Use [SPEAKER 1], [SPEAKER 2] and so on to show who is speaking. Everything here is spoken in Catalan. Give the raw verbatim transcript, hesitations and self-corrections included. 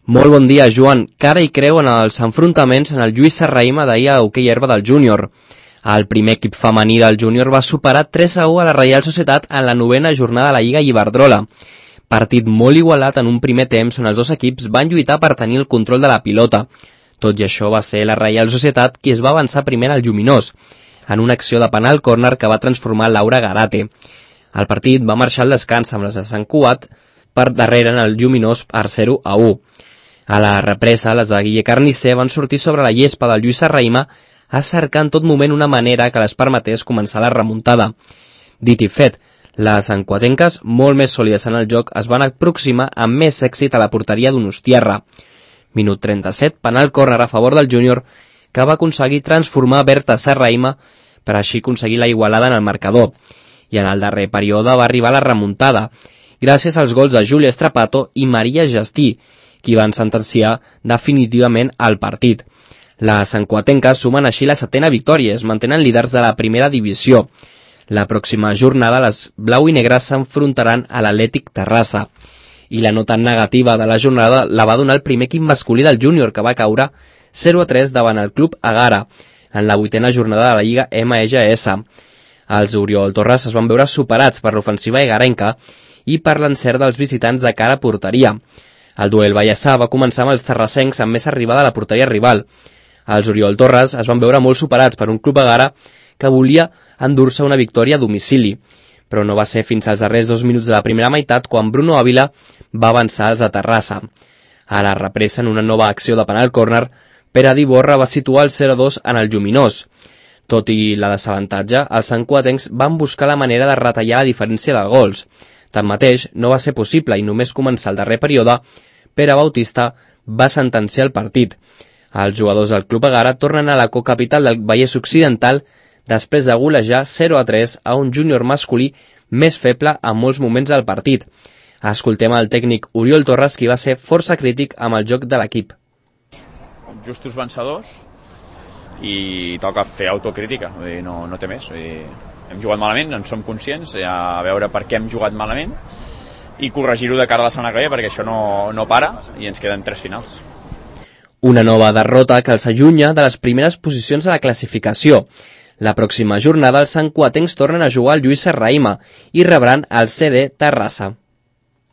[SPEAKER 1] Molt bon dia, Joan. Cara i creu en els enfrontaments en el Lluís Serrahima d'ahir a hoquei herba del júnior. El primer equip femení del júnior va superar tres a u a la Reial Societat en la novena jornada de la Lliga Iberdrola. Partit molt igualat en un primer temps on els dos equips van lluitar per tenir el control de la pilota. Tot i això va ser la Reial Societat qui es va avançar primer al Lluminós, en una acció de penal córner que va transformar Laura Garate. El partit va marxar al descans amb les de Sant Cugat per darrere en el Lluminós per zero a u. A la represa, les de Guille Carnicer van sortir sobre la llespa del Lluís Serrahima a cercar en tot moment una manera que les permetés començar la remuntada. Dit i fet, les santcuatenques, molt més sòlides en el joc, es van aproximar amb més èxit a la porteria d'Donostiarra. Minut trenta-set, penal córner a favor del júnior, que va aconseguir transformar Berta Serrahima per així aconseguir la igualada en el marcador. I en el darrer període va arribar la remuntada, gràcies als gols de Júlia Strapato i Maria Gestí, qui van sentenciar definitivament el partit. Les santcuatenques sumen així la setena victòria, es mantenen líders de la primera divisió. La pròxima jornada les blau i negres s'enfrontaran a l'Atlètic Terrassa. I la nota negativa de la jornada la va donar el primer equip masculí del júnior, que va caure zero a tres davant el club Agara, en la vuitena jornada de la Lliga M G S. Els Oriol Torres es van veure superats per l'ofensiva egarenca i per l'encert dels visitants de cara a porteria. El duel Vallèssà va començar amb els terrassencs amb més arribada a la porteria rival. Els Oriol Torres es van veure molt superats per un club Agara que volia endur-se una victòria a domicili, però no va ser fins als darrers dos minuts de la primera meitat quan Bruno Ávila va avançar als de Terrassa. A la represa, en una nova acció de penal córner, Pere Diborra va situar el zero a dos en el Lluminós. Tot i la desavantatge, els santcuatencs van buscar la manera de retallar la diferència de gols. Tanmateix, no va ser possible i només començar el darrer període, Pere Bautista va sentenciar el partit. Els jugadors del club Agara tornen a la cocapital del Vallès Occidental després de golejar zero a tres a un júnior masculí més feble en molts moments del partit. Escoltem el tècnic Oriol Torres, qui va ser força crític amb el joc de l'equip.
[SPEAKER 2] Justos vencedors i toca fer autocrítica, vull dir, no, no té més. Vull dir, hem jugat malament, en som conscients, a veure per què hem jugat malament i corregir-ho de cara a la setmana que ve, perquè això no, no para i ens queden tres finals.
[SPEAKER 1] Una nova derrota que els allunya de les primeres posicions de la classificació. La pròxima jornada els santcuatencs tornen a jugar al Lluís Serrahima i rebran el C D Terrassa.